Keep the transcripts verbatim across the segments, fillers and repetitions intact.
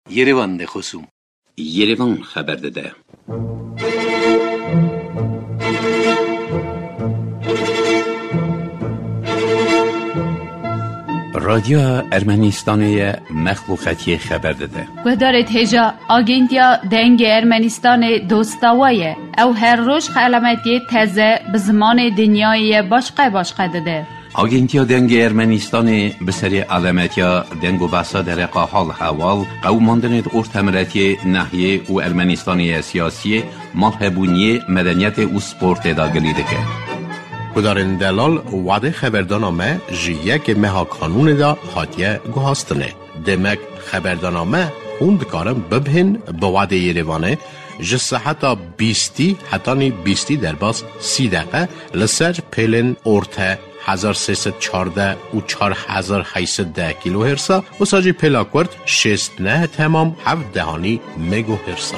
Yerevan de xosûm. Yerevan xeber dide. Radyoya Ermenistanê ye, mexluqetiyê xeber dide. Guhdarê hêja Agentiya Dengê Ermenistanê dosta we ye. Ew her roj xelametiyê teze bi zimanê dinyayê ye başqe başqe dide. Agentiya Dengê Ermenistanê bi serê alemetiya deng û behsa dereqa hal hewal, qewimandinê di ortemiretiyê, nehiyê û Ermenistanê ye siyasiyê, malhebûniyê, medeniyetê û sportê de gilî dike. Gudarên delal, wadê xeberdana me ji yekê meha kanûnê de hatiye guhastinê. Demek xeberdana me hûn dikarin bibihên bi wadê Yerevanê ji seheta bîstî hetanî bîstî derbas sî deqe li ser pêlên orte hezar sê sed çardeh û çar hezar heyt sed deh kîlohêrsa, wisa jî pêla kurt şêst neh temam heft dehanî megohêrsa.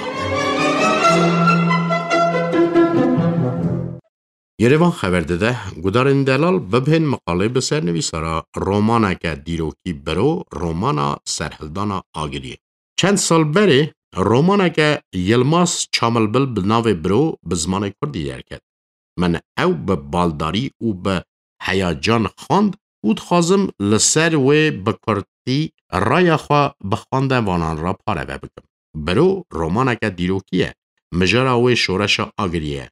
Yerevan xeber dide, gudarên delal bibihên miqalê bi sernivîsara romaneke dîrokî Biro, romana Serhildana Agiriyê. Çend sal berê romaneke Yilmaz Çamilbil bi navê Biro bi zimanê kurdî derket. Min ew bi baldarî û bi heyacan xwend û dixwazim li ser wê bi kurdî raya xwe bi xwendevanan re pareve bikim. Biro romaneke dîrokî ye. Mijara wê şoreşa Agiriyê ye.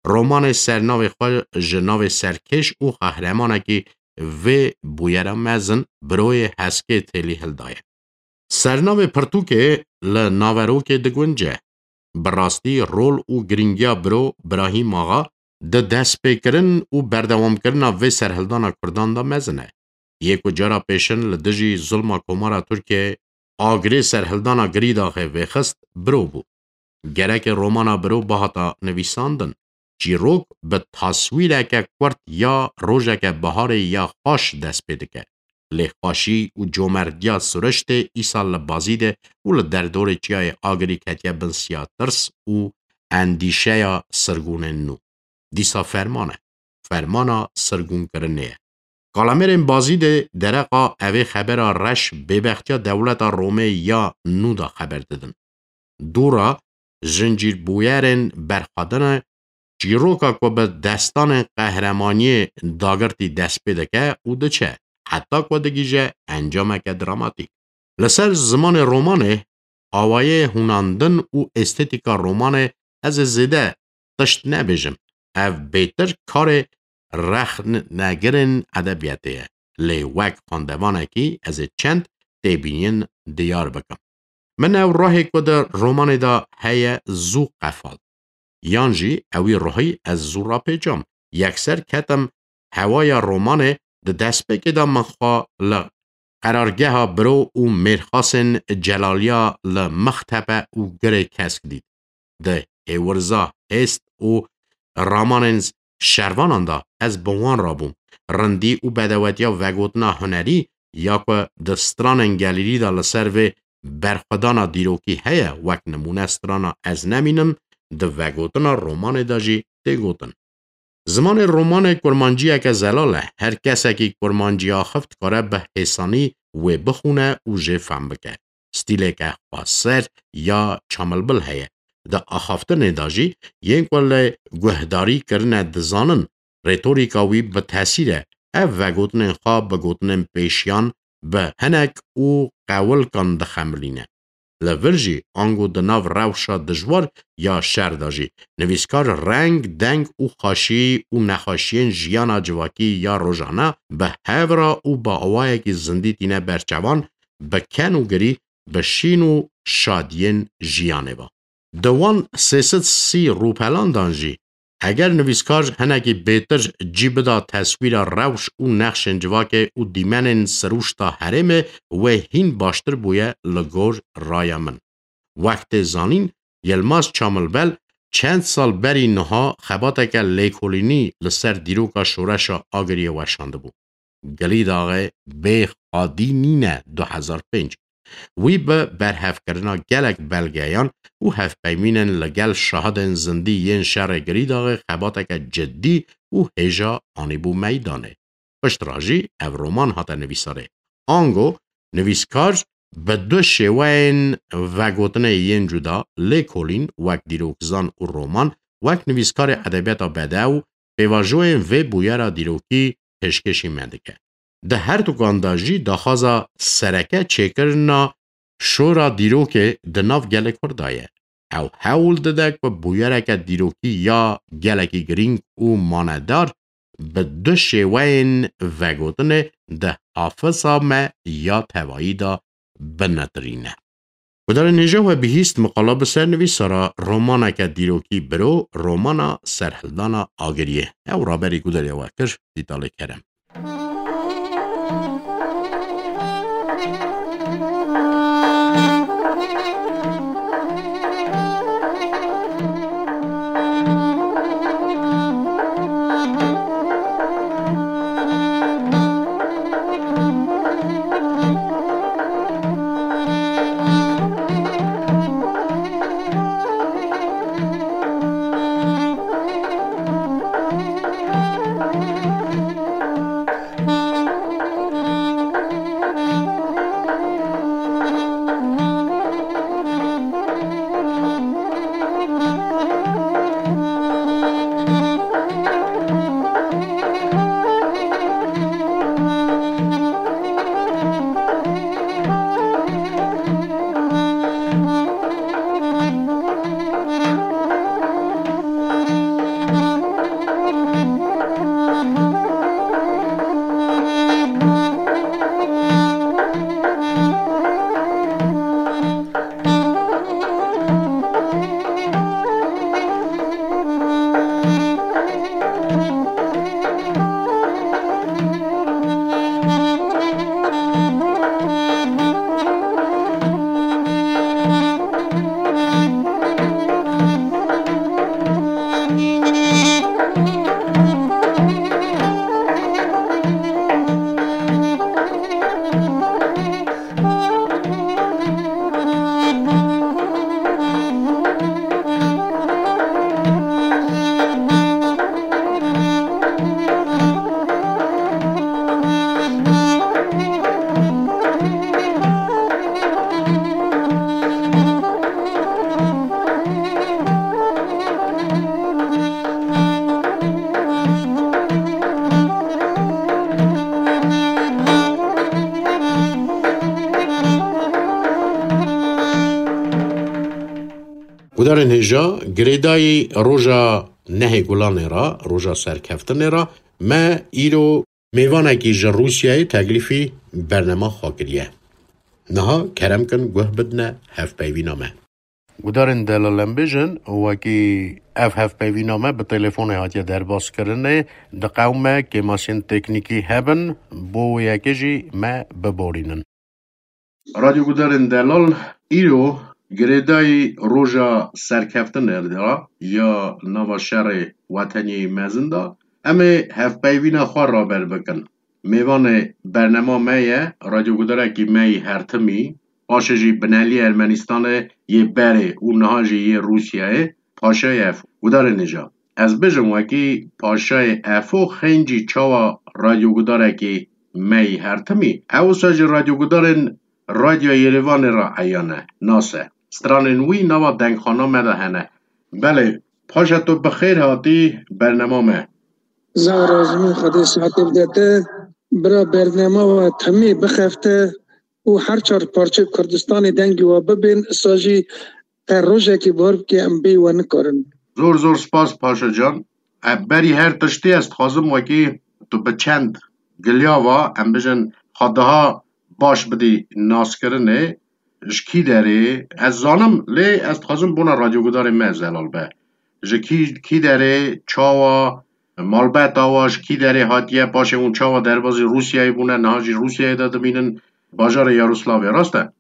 Romanê sernavê xwe ji navê serkêş û qehremanekî vê bûyera mezin Biroyê Heskê Têlî hildaye. Sernavê pirtûkê li naverokê digunce. Bi rastî rol û girîngiya Biro Birahîm Axa di destpêkirin û berdewamkirina vê serhildana kurdan de mezin e. Yê ku cara pêşin li dijî zulma Komara Tirkiyeyê agirê serhildana Girîdaxê vêxist, Biro bû. Gereke romana Biro bihata nivîsandin. Çîrok bi taswîreke kurt ya rojeke biharê ya xweş dest pê dike. Lê xweşî û comerdiya Suriştê îsal li Bazîdê û li derdorê çiyayê Agirî ketiye bin siya tirs û endîşeya sirgûnên nû. Dîsa ferman e. Fermana sirgûnkirinê ye. Kalamêrên Bazîdê dereqa evê xebera reş bêbextiya dewleta Romê ya nû de xeber didin. Dûra zincîrbûyerên berxwedine çîroka ku bi destanên qehremaniyê dagirtî dest pê dike û diçe, heta ku digihîje encameke dramatîk. Li ser zimanê romanê, awayê hûnandin û estetîka romanê ez ê zêde tişt nebêjim. Ev bêtir karê rexnegirên edebiyatê ye. Lê wek xwendevanekî ez ê çend têbîniyên diyar bikim. Min ew ruhê ku di romanê de heye zû qefal. Yan jî ewî ruhî ez zû rapêçam. Yekser ketim hewaya romanê, di destpêkê de min xwe li qerargeha Biro û Mêrxasên Celaliya li Mixtepe û Girê Kesk dît. Di hêwirza hêst û ramanên şervanan de ez bi wan re bûm. Rindî û bedewetiya vegotina hunerî ya ku di stranên gelêrî de li ser vê berxwedana dîrokî heye, wek nimûne strana Ez nemînim, di vegotina romanê de jî tê gotin. Zimanê romanê kurmanciyeke zelal e. Her kesekî kurmancî axif dikare bi hêsanî wê bixwîne û jê fehm bike. Stîleke xweser ya Çamilbil heye. Di axaftinê de jî yên ku li guhdarî kirine dizanin, retorîka wî bi tesîr e. Ev vegotinên xwe bi gotinên pêşiyan, bi hinek û qewilkan dixemilîne. Li vir jî, ango di nav rewşa dijwar ya şer de jî, nivîskar reng, deng û xweşî û nexweşiyên jiyana civakî ya rojane bi hev re û bi awayekî zindî tîne ber çavan, bi ken û girî, bi şîn û şadiyên jiyanê ve. Di wan sê sed sî rûpelan dan jî, eger nivîskar hinekî bêtir cî bida teswîra rewş û nexşên civakê û dîmenên sirûşta herêmê, wê hîn baştir bûye li gor raya min. Wek tê zanîn, Yilmaz Çamilbel çend sal berî niha xebateke lêkolînî li ser dîroka şoreşa Agiriyê weşandibû. Girîdaxê bê xwedî nîne du hezar pênc. Wî bi berhevkirina gelek belgeyan û hevpeymînên li gel şahidên zindî yên şerê Girîdaxê xebateke cidî û hêja anîbû meydanê. Piştre jî ev roman hate nivîsarê. Ango nivîskar Bi du şêweyên vegotinê yên cuda, lêkolîn wek dîrokzan û roman, wek nivîskarê edebiyata bedew, pêvajoyên vê bûyera dîrokî pêşkêşî me dike. Di her dukan de jî daxwaza sereke çêkirina şora dîrokê di nav gelê Kurd de ye. Ew hewl dide ku bûyereke dîrokî ya gelekî girîng û manedar bi du şêweyên vegotinê di hafisa me ya tevayî de binetirîne. Gudarên hêja we bihîst miqala bi ser nivîsara romaneke dîrokî biro, romana Serhildana Agiriyê. Ew raberî gudarê we kir, Dîtalê Kerem. Gudarên hêja, girêdayî roja nehê Gulanê re, roja serkeftinê re, me îro mêvanekî ji Rûsyayê teklîfî bernema xwe kiriye. Niha kerem kin guh bidine hevpeyvîna me. Gudarên delal, em bêjin, wekî ev hevpeyvîna me bi telefonê hatiye derbaskirinê, diqewime kêmasiyên teknîkî hebin, bo wê yekê jî me biborînin. Radyogudarên delal, îro girêdayî roja serkeftinê de ya nava şerê weteniyê mezin de, em ê hevpeyvîna xwe raber bikin. Mêvanê bernema me ye, radyogudarekî me yî hertimî, paşê jî binelî Ermenistanê yê berê û niha jî yê Rûsyayê, Paşayê Efo. Gudarên hêja, ez bêjim wekî Paşayê Efo xencî çawa radyogudarekî me yî hertimî, ew wisa jî radyogudarên Radyoya Yerêvanê re eyan e, nas e. Stranên wî nava dengxana me de hene. Belê, Paşa, tu bi xêr hatî bernema me. Zara zimîn Xwedê saetê bide te, bira, bernema we temê bixefte û her çar parçeyê Kurdistanê dengê we bibên, isa jî te rojekê bar bike em bê we nikarin. Zor zor spas Paşa can. E, berî her tiştî ez dixwazim wekî tu bi çend giliya va, em bijin, xwe daha baş bidî naskirinê, ji kî derê, ez zanim, lê ez dixwazim bona radyogudarê me zelal be. Ji kî, kî derê, çawa, malbeta wa ji kî derê hatiye, paşê hûn çawa derbazî Rûsyayê bûne, niha jî Rûsyayê de dimînin, bajarê Yaroslavê, rast e?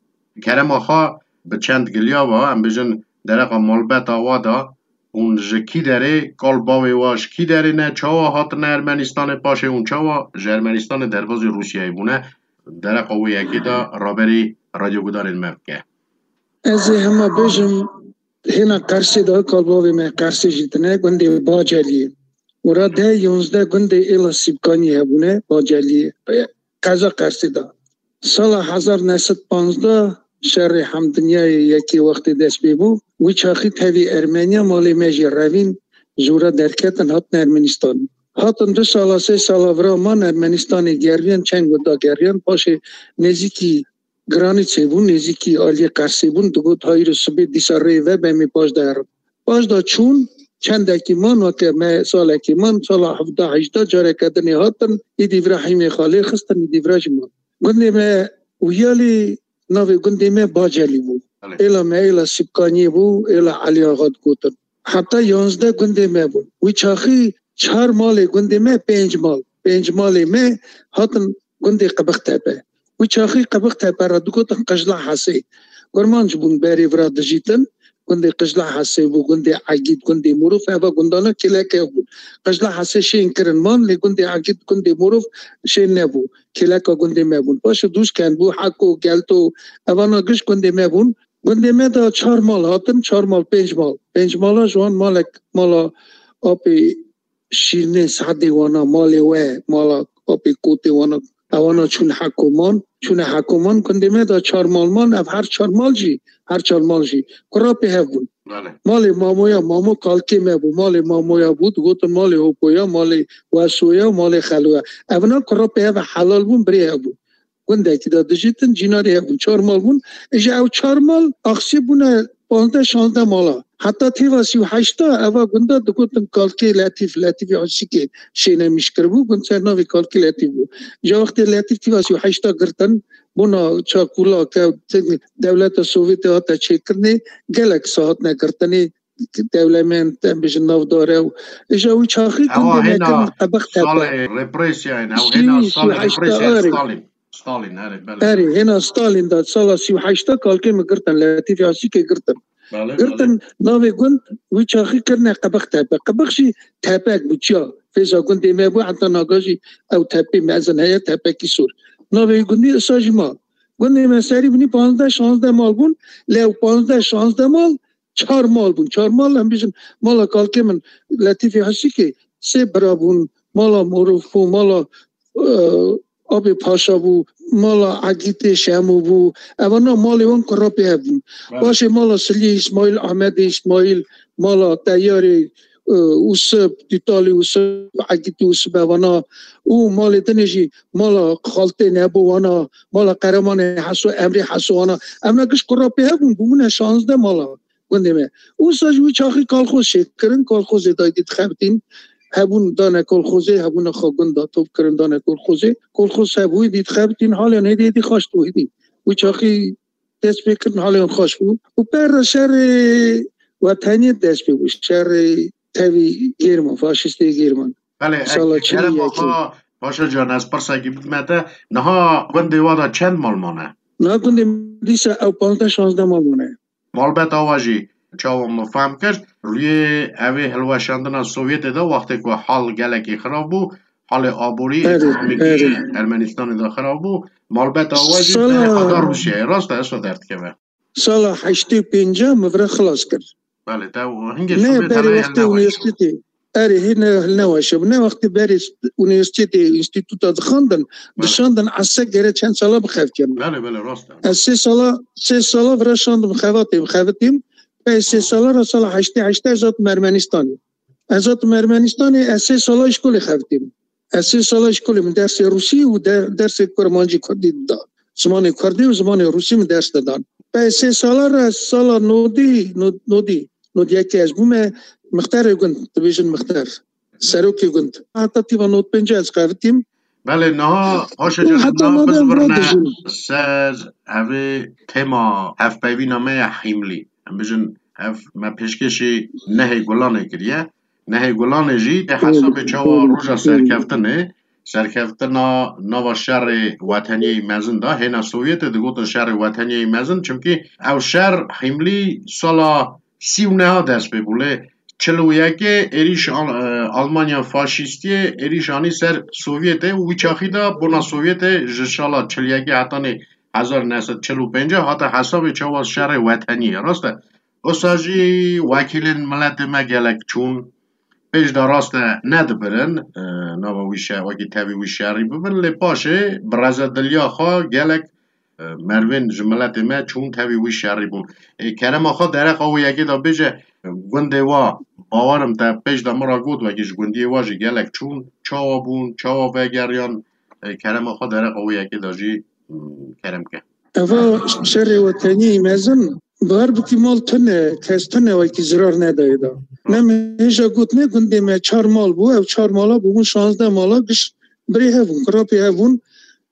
Kerema xwe bi çend giliya va, em bijin, dereqa malbeta wa da, hûn ji kî derê, kal bavê wa ji kî derê ne, çawa hatine Ermenistanê, paşê hûn çawa ji Ermenistanê derbazî Rûsyayê bûne, dereqa wê yekê de raberî radyogudarên me bike. Ez ê hema bêjim, hêna Qersê de kal bavê me Qersê jî tine, gundê Baceliyê. Û ra deh yonzdeh gundê êla Sîbkaniyê hebûne, Baceliyê. Qeza Qersê de. Sala hezar neh sed panzdeh şerê hemdinyayê yekê wextê dest pê bû. Wî çaxî tevî Ermeniya malê me jî revîn, jûra derketin hatin Ermenistan. Hatin du sala, sê sala vira man Ermenistanê geriyan, çend gunda geriyan, paşê nêzîkî Giranîçê bûn, nêzîkî aliyê Qersê bûn, digot hayîrê sibê dîsa rê ve be, em ê paş de herin. Paş de çûn, çendekî man, weke me salekî man, sala hevdeh hejda careke dinê hatin, îdî vira hîmê xalê xistin, îdî vira jî man. Gundê me Wiyalî, navê gundê me Bacelî bû. Belê. Êla me êla Sibkaniyê bû, êla Elî Axa digotin. Heta yanzdeh gundê me bûn. Wî çaxî çar malê gundê me, pênc mal. Pênc malê me hatin gundê Qibixtepe. Wî çaxî Qibixtepe re digotin Qijla Hesê. Kurmanc bûn berê vira dijîtin. Gundê Qijla Hesê bû, gundê Egîd, gundê Mûrûf, eva gundana kêleke bûn. Qijla Hesê şên kirin man, lê gundê Egîd, gundê Mûrûf şên nebû. Kêleka gundê me bûn. Paşê Dûşken bû, Heko, Gelto, evana giş gundê me bûn. Gundê me de çar mal hatin, çar mal, pênc mal. Pênc mala ji wan malek, mala apê Şîrnê Sadê wana, malê we, mala apê Kotê wana, ewana çûn Hekoman, çûne Hekoman, gundê me de çar mal man, ev her çar mal jî, her çar mal jî kurapê hev bûn. Belê. Malê Mamoya, Mamo kalkê me bû, malê Mamoya bû, digotin malê Hopoya, malê Wesoya, malê Xeloya. Evna kurapê hev helal bûn, birê hev bûn. Gundekî de dijîtin, cînarê hev bûn, çar mal bûn. Îja ew çar mal axsî bûne panzdeh şanzdeh mala. Heta têva sî û heşta eva gunda digotin kalkê Letîf, Letîfê Aşîkê şênemîş kiribû, gund ser navê kalkê Letîf bû. Îja wextê Letîf têva sî û heşta girtin, bona çakula ke dewleta Sovyetê hate çêkirinê, gelek sahat negirtinê, dewlemend, em bêjin navdar e û îja wî çaxî Ewa gundê me hêna kirin Qebex Tepe. Salê represiya, ew Sî, hêna sî salê heşta represiya arê. Stalin. Stalin, erê, belê. Erê, hêna Stalin de sala sî û heşta kalkê min girtin, Letîfê Aşîkê girtin. Belê, belê. Girtin, navê gund wî çaxî kirine Qibix Tepe. Qibix jî tepek bû, çiya. Fêza gundê me bû, heta naga jî ew tepê mezin heye, tepekî sor. Navê gundî isa jî ma. Gundê me serî binî panzdeh şanzdeh mal bûn, lê ew panzdeh şanzdeh mal çar mal bûn. Çar mal, em bêjin, mala kalkê min Letîfê Aşîkê sê bira bûn, mala Morof bû, mala, e, Abê Paşa bû, mala Egîtê Şemo bû. Evana malê wan kurapê hev bûn. Belê. Paşê mala Siliyê Îsmaîl, Ahmedê Îsmaîl, mala Teyarê, e, Usip, Dîtalê Usip, Egîtê Usip evana û malê dinê jî mala Xaltê Nebo wana, mala Qeremanê Heso, Emrê Heso wana. Evna giş kurapê hev bûn, bûbûne şanzdeh mala. Gundê me. Wisa ji wî çaxî kolxoz şêkirin, kolxozê de dît xebitîn. Hebûn dane kolxozê, hebûna xwe gunda top kirin dane kolxozê. Kolxoz hebûyî dît xebitîn, haliyan hêdî hêdî xweş bû hêdî. Wî çaxî dest pê kirin, haliyan xweş bû. Û per re şerê weteniyê dest pê bû. Şerê tevî Gêrman, faşistê Gêrman. Belê, Sala e, çil û kerema yekê. Xwe, Paşa Can, ez pirsekî bidime te. Niha gundê wa de çend mal mane? Niha gundê dîsa ew panzdeh şanzdeh mal mane. Malbet Awa jî çawa min fehm kir, rûyê evê hilweşandina Sovyetê de wextê ku hal gelekî xirab bû, halê aborî, Erê, ekonomîkî erê. Ermenistanê de xirab bû, Malbet Awa jî Sala derê xwe da Rûsyayê. Rast e, eso derdikeve. Sala heştê û pênca min vira xilas kir. Belê, te hingê Ne, Sovyet berê hele wextê hilneweş. Unîversîtetê. Erê, hê ne, hilneweşe bû. Ne wextê berê st-, unîversîtetê, înstîtuta dixwandin, Belê. Dişandin, ez se gere çend sala bixeftiyam. Belê, belê, rast e. Ez sê sala, sê sala vira şandim xevatê, bixevitîm. Pey sê sala ra sala heştê heştê ez hatim Ermenistanê. Ez hatim Ermenistanê, ez sê sala îşkolê xevitîm. Ez sê sala îşkolê min dersê rûsî û der-, dersê kurmancî kurdî dida. Zimanê kurdî û zimanê rûsî min ders didan. Pey sê sala re sala nodî, no-, nodî, nodî yekê ez bûme mixterê gund, dibêjin mixter. Serokê gund. Heta tîva nod pêncî ez xevitîm. Belê, niha paşê Û can heta niha nodê em bizvirne radijin. Ser evê tema hevpeyvîna me ya hîmlî. Em bijin ev me pêşkêşî nehê Gulanê kiriye. Nehê Gulanê jî tê Belê, hesabê çawa belê, roja belê. Serkeftinê, serkeftina nava şerê weteniyê mezin da, hêna Sovyetê digotin şerê weteniyê mezin, çimkî ew şer hîmlî sala sî û neha dest pê bû. Lê çil û yekê êrîş Al-, e, Almanya faşîstiyê êrîş anî ser Sovyetê û wî çaxî de bona Sovyetê ji sala çil yekê hetanî hezar neh sed çil û pênc hate hesabê çawa şerê weteniyê. Rast e? Wisa jî wekîlên miletê me gelek çûn. Pêş de rast e nedibirin, e, nava wî şe-, wekî tevî wî şerî bibin, lê paşê bi rezediliya xwe gelek, e, mervên ji miletê me çûn tevî wî şerî bûn. E, kerema xwe dereqa wê yekê de bêje, e, gundê wa, bawerim te pêş de min re got, wekî ji gundiyê wa jî gelek çûn, çawa bûn, çawa vegeriyan, e, kerema xwe dereqa wê yekê de jî, hmm, kerem ke. Eva şerê wetenî mezin, bar bikî mal tune, kes tune wekî zirar nedayê da. Ne min hêja got ne gundê me çar mal bû, ev çar mala bûbûn şazdeh mala giş birê hev bûn, kurapê hev bûn.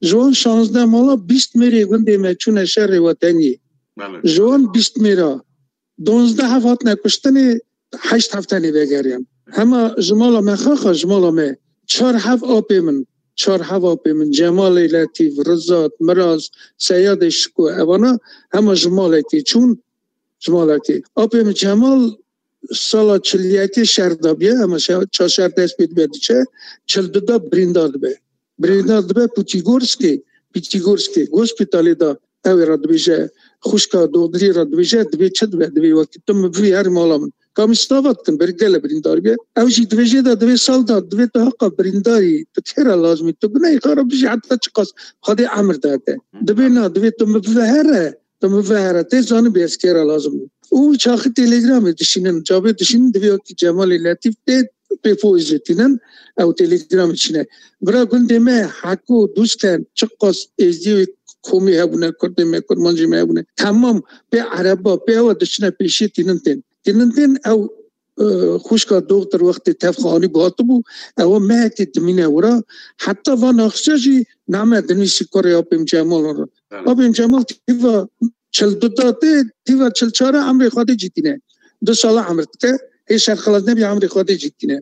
Ji wan şazdeh mala bîst mêrê gundê me çûne şerê weteniyê. Belê. Ji wan bîst mêra donzdeh hev hatine kuştinê, heşt hev tenê vegeriyan. Hema ji mala me xaxa, ji mala me çar hev apê min, çar hev apê min, Cemalê Letîf, Rizat, Miraz, Seyadê Şiko, evana hema ji malekê çûn, ji malekê. Apê min Cemal sala çil yekê şer dabiye, hema şer, ça şer dest pê dibe diçe, çil du da birîndar dibe. Birîndar dibe Pûtîgorskê, Pîtîgorskê, gospîtalê de ew ê re dibêje, xwişka doxdirî re dibêje, divê çi dibe, divê wekî tu min bivî her mala min. Kamî stava dikin, berî gele birîndar be. Ew jî dibêje de divê sal da, divê tu heqa birîndarî, tu kê re lazimî, tu bineyê xwe re bijî heta çiqas Xwedê emir date. Dibê na, divê tu min bive here, tu min bive here, tê zanibî ez kê re lazim im. Û çaxî telegramê dişînin, çavê dişînin, divê wekî Cemalê Letîf tê pê poêzê tînin, ew telegramê çîne. Bira gundê me, heko dûsten, çiqas êzdiyê wê komî hebûne, kurdê me, kurmancê me hebûne. Temam pê ereba, pê ewa diçine pêşiyê tînin tên. Tînin tên ew, e, xwişka doxtir wextê tev xwe anîbû hatibû, ewa mehekê dimîne wira. Heta van axistiya jî name dinivîsî kurê apê min Cemal re. Evet. Apê min Cemal tîva çil du da tê, tîva çil çar e emrê Xwedê cî tîne. Du sala emr dike, hê şer xilas nebî emrê Xwedê cî tîne.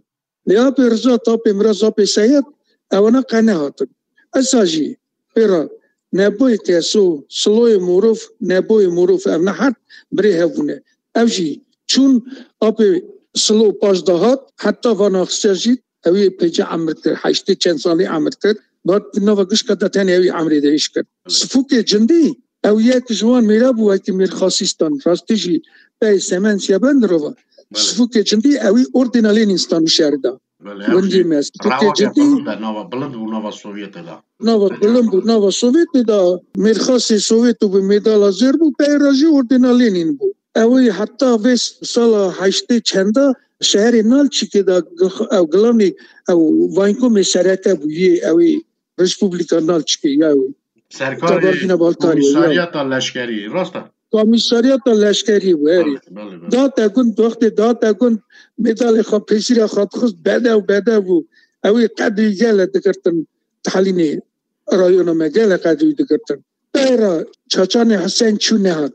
Lê apê Rizat, apê Miraz, apê Seyad, ewana qe nehatin. Esa jî pê re neboyê keso, siloyê morof, neboyê morof, ev ne hert birê hev bûne. Ev jî çûn apê silo paş de hat, heta van axistiya jî ew ê pêce emir kir, heştê çend salî emir kir. Bat nava gişka de tenê ew ê emrê de êş kir. Sifûkê cindî, ew yek ji wan mêra bû wekî Mîrxasî stan, rastî jî pey Semen Siyabend rova. Belê. Sifûkê cindî ew ê Ordêna Lênîn stan û şerî da. Belê, ew Gundî jî me, sifûkê rewake cindî bilind e, nava, bilind bû nava Sovyetê de. Nava bilind bû, nava Sovyetê de. Mîrxasê Sovyet û bi medala zêr bû, pey re jî Ordêna Lênîn bû. Ew ê heta vê sala heştê çenda şeherê Nalçikê de gix-, ew gilamî, ew vaykomê sereke bû yê ew ê Respublika Nalçikê ya ew ê. Serkarê Kabardîna Balkarê ya. Komîsaryata Leşkerî, rast e? Komîsaryata Leşkerî bû, herî. Belê, belê, belê. Date gund, wextê date gund, medalê xwe, pêsîra xwe dixist, bedew, bedew bû. Ew ê qedrî gele digirtin, talînê rayona me gele qedrî digirtin. Pey re Çaçanê Husên çû nehat.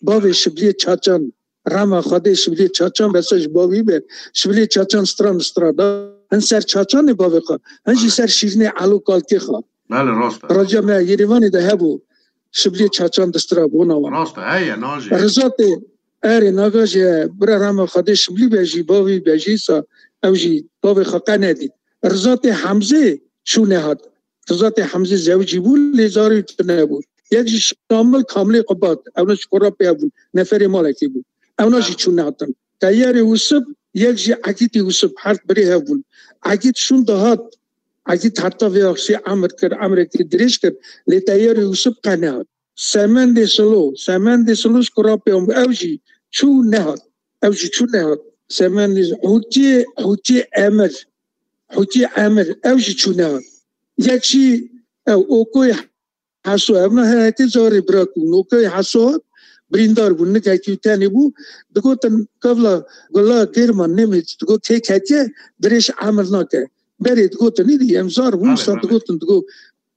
Bavê Şibliyê Çaçan, rema Xwedê Şibliyê Çaçan bese ji bavî be. Şibliyê Çaçan stran stran da. Hin ser Çaçanê bavê xwe, hin jî ser şîrînê Elo Kalkê xwe. Belê, rast e. Raciya me Yerêvanê de hebû. Şibliyê Çaçan distira bona wan. Rast e, heye, najê. Rizatê, erê, naga jî, bira rema Xwedê Şiblî be jî, bavî be jî sa, ew jî bavê xwe qe nedît. Rizatê Hemzê çû nehat. Rizatê Hemzê zewicî bû, lê zarê wî tune bû. Yek jî Şamil Kamilê Qubat, ew ne ji Kurapê hebûn, neferê malekê bû. Ewna jî çûn nehatin. Teyarê Wisip, yek jî Egîtî Wisip, her birê hev bûn. Egît şûn dihat, Egît heta vê axşê emir kir, emrekî dirêj kir, lê Teyarê Wisip qe nehat. Semendê Silo, Semendê Silo ji Kurapê hebû, ew jî çû nehat. Ew jî çû nehat. Semendê Hûtiyê, Hûtiyê Emir, Hûtiyê Emir, ew jî çû nehat. Yek jî ew Okoyê Heso, ev ne hereke carê bira ku Okoyê Heso hat, birîndar bû, nikekî wî tenê bû, digotin, kevla Gula Gêrman Nemêç, digot, kê ketiye, dirêj emir nake. Berê digotin, îdî em zar bûn, Belê, sa belê. digotin, digot,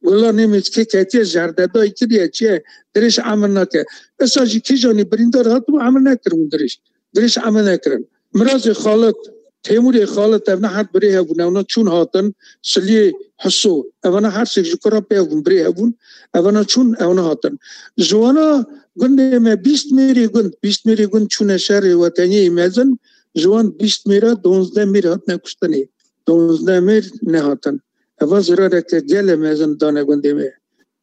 Gula Nemêç kê ketiye, jerdedayî kiriye, çi ye, dirêj emir nake. Esa jî kîjanî birîndar hatibû, emir nekiribûn dirêj. Dirêj emir nekirin. Mirazê Xalit, Têmûrê Xalit, ev ne her birê hebûn, ewna çûn hatin, Siliyê Hiso, evana her sêk ji kura pê hebûn, birê hebûn, evana çûn, ewna hatin. Ji wana gundê me bîst mêrê gund, bîst mêrê gund çûne şerê weteniyê mezin, ji wan bîst mêra donzdeh mêr hatine kuştinê. Donzdeh mêr nehatin. Eva zirareke gele mezin dane gundê me.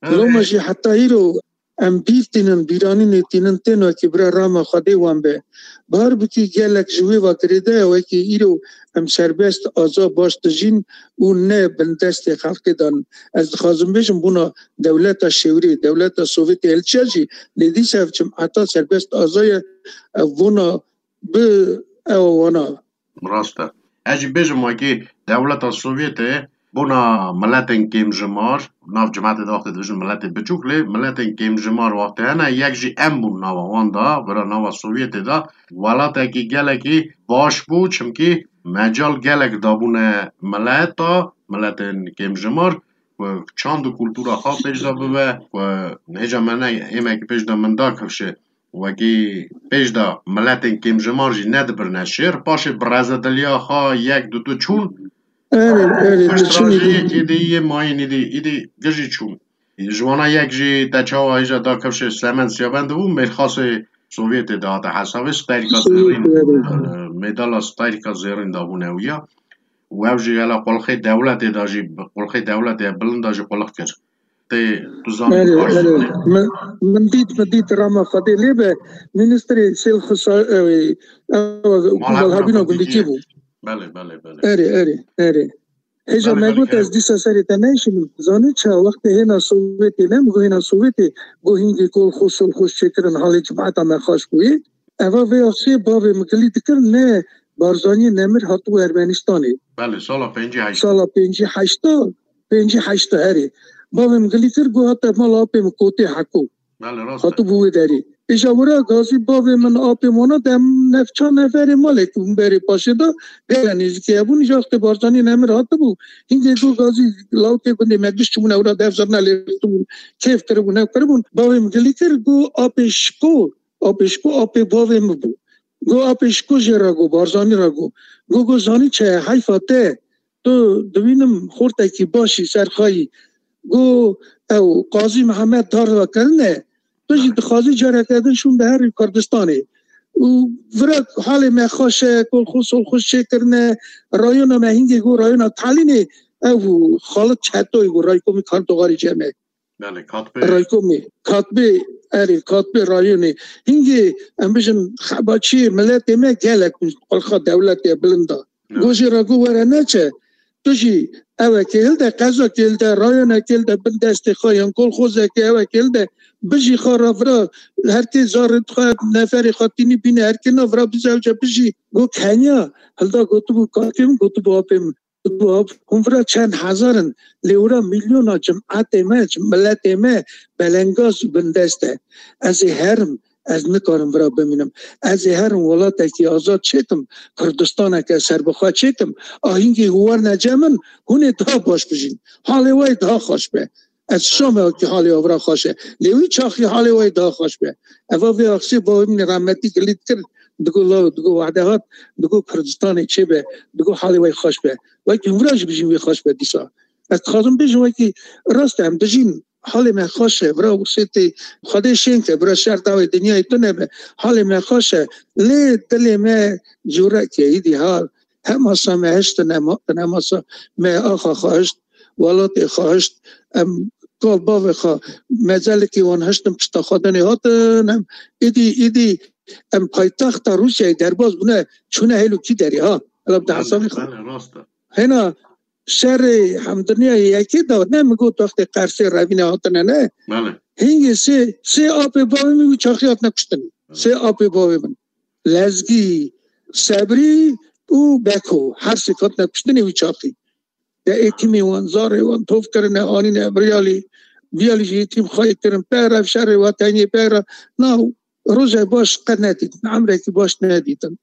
Evet. Loma jî heta îro Em bîr tînin, bîranînê tînin, tên wekî bira rama Xwedê wan be. Bar bikî gelek ji wê ve girêdaya wekî îro em serbest, aza, baş dijîn û ne bin destê xelkê dan. Ez dixwazim bêjim, bûna dewleta şêwirê, dewleta Sovyetê, Elçiya jî, lê dîsa ev cimeta serbest, aza ye, ev bona bi ew wana. Rast e. Ez jî bêjim, wekî dewleta Sovyetê bona miletên kêmjimar, nav cimetê de wextê dibêjin miletê biçûk, lê miletên kêmjimar wextê hene, yek jî em bûn nava wan de, bira nava Sovyetê de, welatekî gelekî baş bû, çimkî mecal gelek dabûne mileta, miletên kêmjimar, ku çand û kultura xwe pêş de bibe, ku hêja me ne êmekî pêş de min da kifşê. Wekî pêş de miletên kêmjimar jî nedibirine şêr. Paşê bi rezediliya xwe yek du du çûn. Erê, erê, Pişt diçin re jî êdî. Êdî yê mayîn êdî, êdî gijî çûn. Ji wana yek jî te çawa hêja da kifşê Slemen Siyabend bû, mêrxasê Sovyetê de hate hesabê, stayîrka zêrîn, Sovyetê, erê. E, medala stayîrka zêrîn dabûne wî ya. Û ew jî hela qulxê dewletê de jî, qulxê dewletê bilind de jî qulix kir. Tê, tu zanî Erê, baş erê. Min, min dît, min dît rama Xwedê lê be, ministrê sêl xisa, e, e, Malhebûna malhebûna gundî gundî kî bû? Belê, belê, belê. Erê, erê, erê. Hêja Belê, me belê, got, ez kerem. Dîsa serê te neyşînim. Zanî çi, wextê hêna Sovyetê, ne min got hêna Sovyetê, got hingê kolxoz, solxoz çêkirin, halê cimeta me xaş bûyê. Eva vê axsê bavê min gilî dikir, ne Barzanî Nemir hatibû Ermenistanê. Belê, sala pêncî heşt. Sala pêncî heşta, pêncî heşta herê. Bavê min gilî kir, got hate mala apê min Kotê Heko. Belê, rast e. Hatibû wê derê. Îja wira gazî bavê min, apê min wana dem nefça neferê malê ku berê paşê de gele nêzîkê hebûn. Îja wextê Barzanî Nemir hatibû. Hingê got gazî lawikê gundê me giş çibûne wira dev zirne lê bûn. Kêf kiribûn, ew kiribûn. Bavê min gilî kir, got apê Şiko. Apê Şiko apê bavê min bû. Go apê Şiko jê re go, Barzanî re go. Go, go zanî çi ye, heyfa te. Tu dibînim xortekî başî serxayî. Go ew Qazî Mihemed dar ve kirine. Tu jî dixwazî careke din şûn biherî Kurdistanê. Û vira halê me xweş e, kolxoz solxoz çêkirine. Rayona me hingê go rayona Talînê ew Xalit Çetoy go raykomî Kartoxarî Cem e. Belê, Katbê. Raykomê, Katbê, erê, Katbê rayonê. Hingê, em bijin, xebaçiyê miletê me gelek qulxa dewletê bilind a. Evet. Go jê re go were neçe. Tu jî ewekê hilde, qezakê hilde, rayonekê hilde, bin destê xwe yan kolxozekê ewekê hilde, bijî xwe re vira, her kê zarê xwe, neferê xwe tînî bîne, her kê na vira bizewce bijî. Go Kenya, hilda gotibû kakê min, gotibû apê min. Hûn vira çend hezar in, lê wira milyona cimetê me, cim-, miletê me belengaz û bindest e. Ez ê herim, ez nikarim vira bimînim. Ez ê herim welatekî azad çêkim, Kurdistaneke serbixwe çêkim. A hingê hûn werne cem min, hûn ê daha baş bijîn. Halê we yê daha xweş be. Ez şame ki halê we vira xweş e. Lê wî çaxî halê we yê daha xweş be. Eva vê axsê bavê min ê rahmetî gilî dikir, digo law, digo wehde hat, digo Kurdistanê çê be, digo halê we xweş be. Wekî hûn vira jî bijîn wê xweş be dîsa. Ez dixwazim bêjim wekî rast e, em dijîn, halê me xweş e, vira wixsê tê Xwedê şên ke, vira şer dawê dinyayê tune be, halê me xweş e. Lê dilê me cûrek e, îdî ha hemasa me hiştin, hema-, hemasa me axa xwe hişt, welatê xwe hişt, em kal bavê xwe, mezelekî wan hiştin pişta xwe dinê hatin, em îdî, îdî em paytexta Rûsyayê derbas bûne, çûne hêl û kî derê ha. Hela bi Belê, hesabê xwe. Belê, rast e. Hêna şerê hemdinyayê yekê de ne min got wextê Qersê revîne hatine ne. Belê. Hingê sê, sê apê bavê min wî çaxî hatine kuştinê. Belê. Sê apê bavê min. Lezgî, Sebrî û Beko. Her sê hatine kuştinê wî çaxî. De êtimê wan, zarê wan tov kirine, anîne Riyalî. Riyalî jî êtîm xayê kirin. Peyre şerê weteniyê peyre. Na roje baş qet nedîtin. Emrekî baş nedîtin.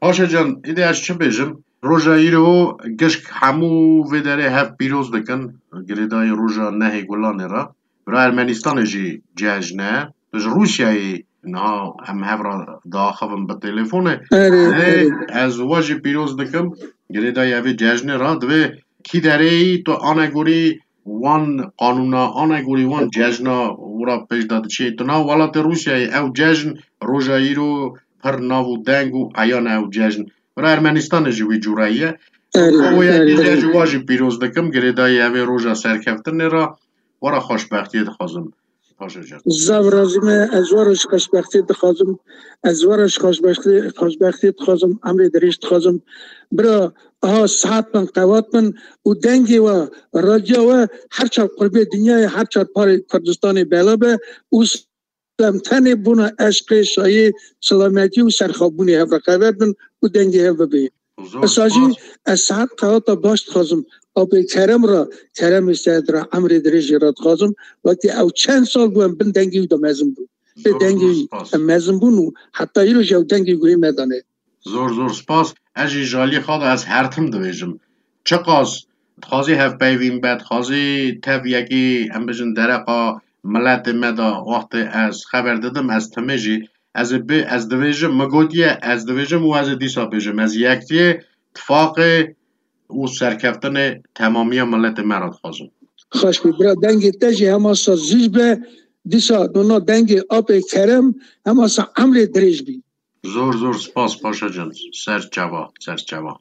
Paşa can, îdî ez çi bêjim? Roja îro gişk hemû vê derê hev pîroz dikin. Girêdayî roja nehê Gulanê re. Bira Ermenistanê jî cejn e. Tu ji Rûsyayê niha em hev re diaxivin bi telefonê. Erê, Lê erê. Ez we jî pîroz dikim. Girêdayî evê cejnê re divê kî derê yî tu anegorî wan qanûna, anegorî wan cejna wira pêş de diçê. Tu nav welatê Rûsyayê ew cejn roja îro pir nav û deng û eyan e ew cejn. Bira Ermenistanê jî wî cûre ye. Erê, Ew yekî erê, jî ez erê. Ji wa jî pîroz dikim. Girêdayî evê roja serkeftinê re wera xweşbextiyê dixwazim. Paşa can. Zev razî me, ez we re ji xweşbextî dixwazim. Ez we re ji xweşbextî, xweşbextî dixwazim, emrê dirêj dixwazim. Bira, aha, sihet bin, qewat bin û dengê we, radya we her çar qurbê dinyayê, her çar parê Kurdistanê bela be û em tenê bona eşqê, şayê, silametî û serxwebûnê hev re xeber bin û dengê hev bibê. Zor Esa jî spas. Ez sihet qewata baş dixwazim. Apê Kerem re, Keremê Seed re, emrê dirêjê re dixwazim. Wekî ew çend sal bû em bin dengê wî de mezin bûn. Lê Zor, dengê zor wî spas. Em mezin bûn û heta îro jî ew dengê guhê me dane. Zor zor spas. Ez jî ji aliyê xwe de ez her tim dibêjim. Çiqas dixwazî hevpeyvîn be, dixwazî tev yekî, em bijin, dereqa miletê me de wextê ez xeber didim, ez timê jî, ez ê bi, ez dibêjim, min gotiye, ez dibêjim û ez ê dîsa bêjim. Ez yektiyê, tifaqê û serkeftinê temamiya miletê me re dixwazim. Xweş bî, bira, dengê te jî hema sa zîz be, dîsa nona dengê apê Kerem hema sa emrê dirêj bî. Zor zor spas Paşa can. Ser çava, ser çava.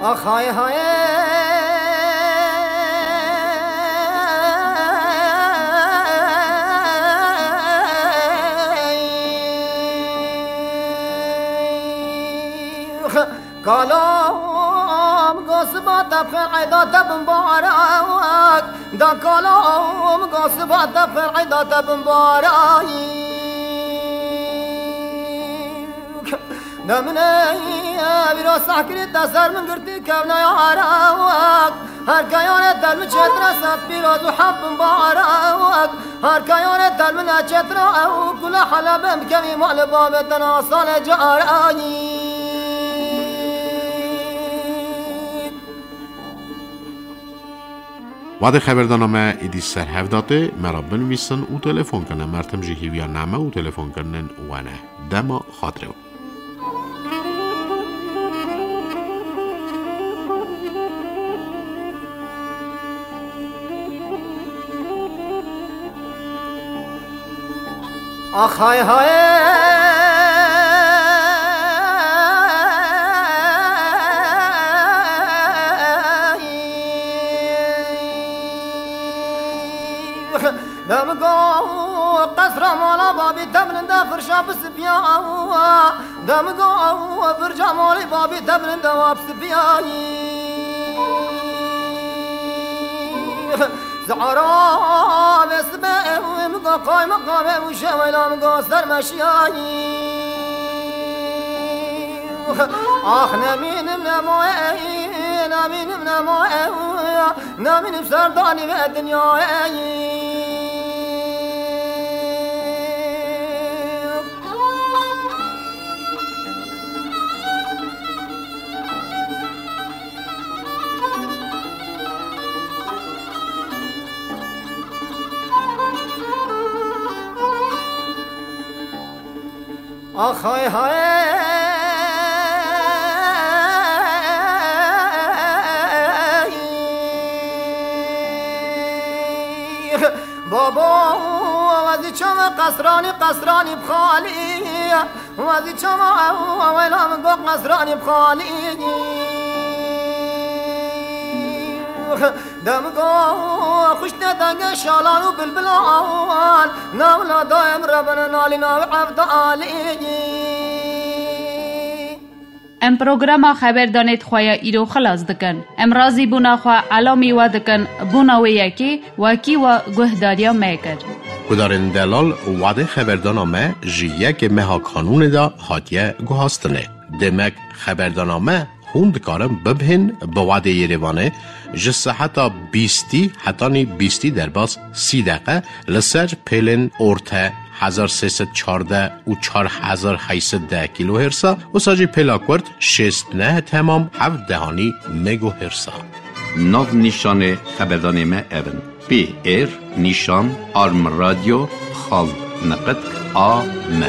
Ax hay hay. Kalam gosba te pxen eda te bin barak. Da kalam gosba te pxen eda te bin barak. Demine vîra sehkirî te ser min girtî kevne yarak. Her keyane tel min çetre set pîroz û hef bin barak. Her keyane tel min e çetre ew kule helebe bikevî mal babê te na sale carak. Wadê xeberdana me êdî ser hev datê, me re binivîsin û telefon kine. Mertim jî hîviya name û telefonkirinên we ne. Dema xatirê we. Ax hay hay. Demigo qesra mala babî te bilinde firşa bi sipiya. Demigo firşa malê babî te bilinde wa bi sipiya. Zara ve sibe ew mi go qayma qave û şewela mi go sermeşiyayî. Ah nemînim nemaye, nemînim nemaye, nemînim serdanî ve dinyayê. Ax hay hay. Babo, wezî çava qesranî, qesranî bixalî. Wezî çava ew, wela min got qesranî bixalî. Demigo xuşte denge şalan û bilbilan, navla dayem rebene nalî nav evda alî. Em programa Xeberdanê di xwe ya îro xilas dikin. Em razîbûna xwe elamî we dikin, bûna wê yekê wekî we guhdariya me kir. Guhdarên delal, wadê xeberdana me ji yekê meha Kanûnê de hatiye guhastinê. Demek xeberdana me hûn dikarin bibihên bi wadê Yerêvanê ji seheta bîstî hetanî bîstî derbas sî deqe li ser pêlên orte hezar sê sed çardeh û çar hezar heyt sed deh kîlohêrsa, wisa jî pêla kurt şêst neh temam heft dehanî megohêrsa. Nav nîşanê xeberdanê me ev in: P R nîşan arm radyo xal neqet A M.